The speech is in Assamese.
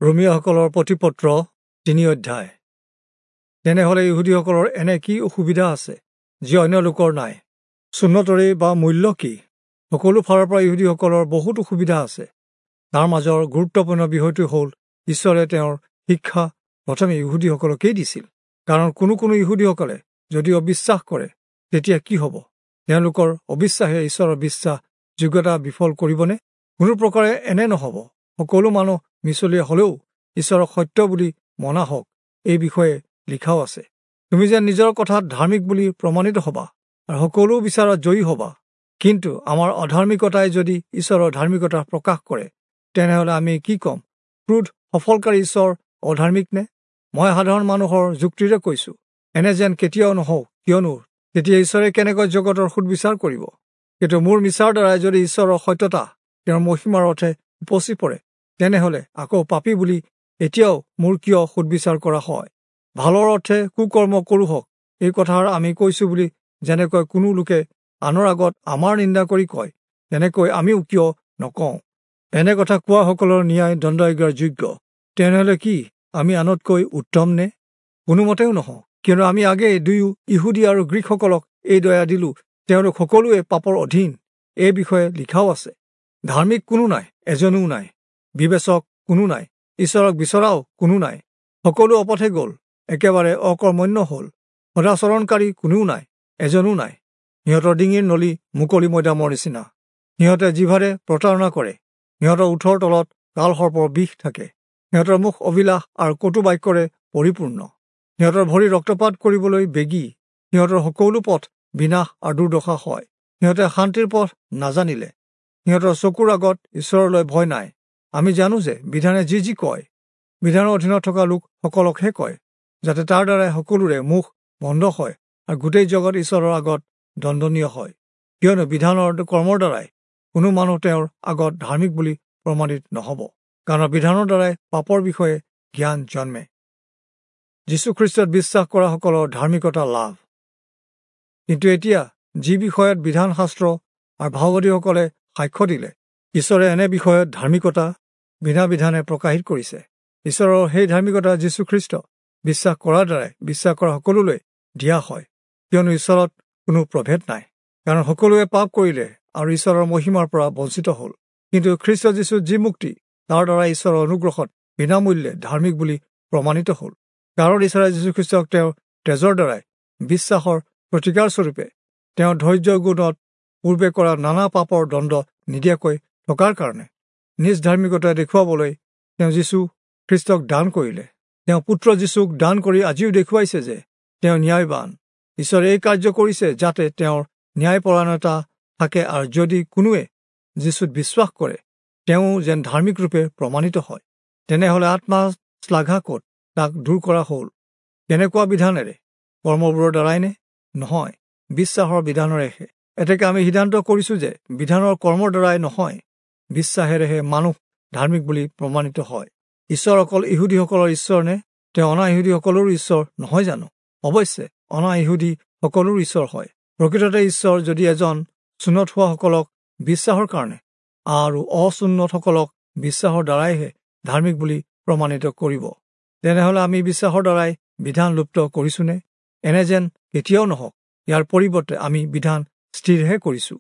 ৰোমীয়াসকলৰ প্ৰতিপত্ৰ 3 অধ্যায়। তেনেহ'লে ইহুদীসকলৰ এনে কি অসুবিধা আছে যি অন্য লোকৰ নাই? চুন্নতৰেই বা মূল্য কি? সকলো ফালৰ পৰা ইহুদীসকলৰ বহুত অসুবিধা আছে। তাৰ মাজৰ গুৰুত্বপূৰ্ণ বিষয়টো হ'ল ঈশ্বৰে তেওঁৰ শিক্ষা প্ৰথমে ইহুদীসকলকেই দিছিল। কাৰণ কোনো কোনো ইহুদীসকলে যদি অবিশ্বাস কৰে তেতিয়া কি হ'ব? তেওঁলোকৰ অবিশ্বাসে ঈশ্বৰৰ বিশ্বাস যোগ্যতা বিফল কৰিবনে? কোনো প্ৰকাৰে এনে নহ'ব। সকলো মানুহ মিছলীয়া হ'লেও ঈশ্বৰক সত্য বুলি মনা হওক, এই বিষয়ে লিখাও আছে। তুমি যেন নিজৰ কথাত ধাৰ্মিক বুলি প্ৰমাণিত হ'বা আৰু সকলো বিচাৰত জয়ী হ'বা। কিন্তু আমাৰ অধাৰ্মিকতাই যদি ঈশ্বৰৰ ধাৰ্মিকতা প্ৰকাশ কৰে, তেনেহ'লে আমি কি ক'ম? ক্ৰোধ সফলকাৰী ঈশ্বৰ অধাৰ্মিক নে? মই সাধাৰণ মানুহৰ যুক্তিৰে কৈছোঁ, এনে যেন কেতিয়াও নহওক। কিয়নো তেতিয়া ঈশ্বৰে কেনেকৈ জগতৰ সুদবিচাৰ কৰিব? কিন্তু মোৰ মিছাৰ দ্বাৰাই যদি ঈশ্বৰৰ সত্যতা তেওঁৰ মহিমাৰ অৰ্থে উপচি পৰে, তেনেহ'লে আকৌ পাপী বুলি এতিয়াও মোৰ কিয় সুদবিচাৰ কৰা হয়? ভালৰ অৰ্থে কুকৰ্ম কৰোঁ হওক, এই কথাৰ আমি কৈছোঁ বুলি যেনেকৈ কোনো লোকে আনৰ আগত আমাৰ নিন্দা কৰি কয়, তেনেকৈ আমিও কিয় নকওঁ? এনে কথা কোৱাসকলৰ ন্যায় দণ্ডাজ্ঞাৰ যোগ্য। তেনেহ'লে কি আমি আনতকৈ উত্তম নে? কোনোমতেও নহওঁ। কিয়নো আমি আগেয়ে দুয়ো ইহুদী আৰু গ্ৰীকসকলক এই দয়া দিলোঁ, তেওঁলোক সকলোৱে পাপৰ অধীন। এই বিষয়ে লিখাও আছে, ধাৰ্মিক কোনো নাই, এজনো নাই, বিবেচক কোনো নাই, ঈশ্বৰক বিচৰাও কোনো নাই। সকলো অপথে গ'ল, একেবাৰে অকৰ্মণ্য হ'ল, সদাচৰণকাৰী কোনেও নাই, এজনো নাই। সিহঁতৰ ডিঙিৰ নলী মুকলি মৈদামৰ নিচিনা, সিহঁতে জিভাৰে প্ৰতাৰণা কৰে, সিহঁতৰ ওঠৰ তলত কালসৰ্পৰ বিষ থাকে, সিহঁতৰ মুখ অভিলাষ আৰু কটু বাক্যৰে পৰিপূৰ্ণ, সিহঁতৰ ভৰি ৰক্তপাত কৰিবলৈ বেগী, সিহঁতৰ সকলো পথ বিনাশ আৰু দুৰ্দশা হয়। সিহঁতে শান্তিৰ পথ নাজানিলে, সিহঁতৰ চকুৰ আগত ঈশ্বৰলৈ ভয় নাই। আমি জানো যে বিধানে যি যি কয়, বিধানৰ অধীনত থকা লোকসকলকহে কয়, যাতে তাৰ দ্বাৰাই সকলোৰে মুখ বন্ধ হয় আৰু গোটেই জগত ঈশ্বৰৰ আগত দণ্ডনীয় হয়। কিয়নো বিধানৰ কৰ্মৰ দ্বাৰাই কোনো মানুহ তেওঁৰ আগত ধাৰ্মিক বুলি প্ৰমাণিত নহ'ব, কাৰণ বিধানৰ দ্বাৰাই পাপৰ বিষয়ে জ্ঞান জন্মে। যীশুখ্ৰীষ্টত বিশ্বাস কৰাসকলৰ ধাৰ্মিকতা লাভ। কিন্তু এতিয়া যি বিষয়ত বিধানশাস্ত্ৰ আৰু ভাওবাদীসকলে সাক্ষ্য দিলে, ঈশ্বৰে এনে বিষয়ত ধাৰ্মিকতা বিনা বিধানে প্ৰকাশিত কৰিছে। ঈশ্বৰৰ সেই ধাৰ্মিকতা যীশুখ্ৰীষ্ট বিশ্বাস কৰাৰ দ্বাৰাই বিশ্বাস কৰা সকলোলৈ দিয়া হয়। কিয়নো ঈশ্বৰত কোনো প্ৰভেদ নাই, কাৰণ সকলোৱে পাপ কৰিলে আৰু ঈশ্বৰৰ মহিমাৰ পৰা বঞ্চিত হ'ল। কিন্তু খ্ৰীষ্ট যীশুত যি মুক্তি, তাৰ দ্বাৰা ঈশ্বৰৰ অনুগ্ৰহত বিনামূল্যে ধাৰ্মিক বুলি প্ৰমাণিত হ'ল। কাৰণ ঈশ্বৰে যীশুখ্ৰীষ্টক তেওঁৰ তেজৰ দ্বাৰাই বিশ্বাসৰ প্ৰতিকাৰস্বৰূপে তেওঁৰ ধৈৰ্য গুণত পূৰ্বে কৰা নানা পাপৰ দণ্ড নিদিয়াকৈ থকাৰ কাৰণে নিজ ধাৰ্মিকতা দেখুৱাবলৈ তেওঁ যীশু খ্ৰীষ্টক দান কৰিলে। তেওঁ পুত্ৰ যীশুক দান কৰি আজিও দেখুৱাইছে যে তেওঁ ন্যায়বান। ঈশ্বৰে এই কাৰ্য কৰিছে যাতে তেওঁৰ ন্যায়পৰায়ণতা থাকে আৰু যদি কোনোৱে যীশুত বিশ্বাস কৰে তেওঁ যেন ধাৰ্মিক ৰূপে প্ৰমাণিত হয়। তেনেহ'লে আত্মা শ্লাঘা ক'ত? তাক দূৰ কৰা হ'ল। কেনেকুৱা বিধানেৰে? কৰ্মবোৰৰ দ্বাৰাই নে? নহয়, বিশ্বাসৰ বিধানেৰেহে। এতেকে আমি সিদ্ধান্ত কৰিছোঁ যে বিধানৰ কৰ্মৰ দ্বাৰাই নহয়, বিশ্বাসেৰেহে মানুহ ধাৰ্মিক বুলি প্ৰমাণিত হয়। ঈশ্বৰ অকল ইহুদীসকলৰ ঈশ্বৰ নে? তেওঁ অনা ইহুদীসকলৰো ঈশ্বৰ নহয় জানো? অৱশ্যে অনা ইহুদী সকলোৰো ঈশ্বৰ হয়। প্ৰকৃততে ঈশ্বৰ যদি এজন, চুন্নত হোৱাসকলক বিশ্বাসৰ কাৰণে আৰু অচুন্নতসকলক বিশ্বাসৰ দ্বাৰাইহে ধাৰ্মিক বুলি প্ৰমাণিত কৰিব, তেনেহ'লে আমি বিশ্বাসৰ দ্বাৰাই বিধান লুপ্ত কৰিছোনে? এনে যেন কেতিয়াও নহওক। ইয়াৰ পৰিৱৰ্তে আমি বিধান স্থিৰহে কৰিছোঁ।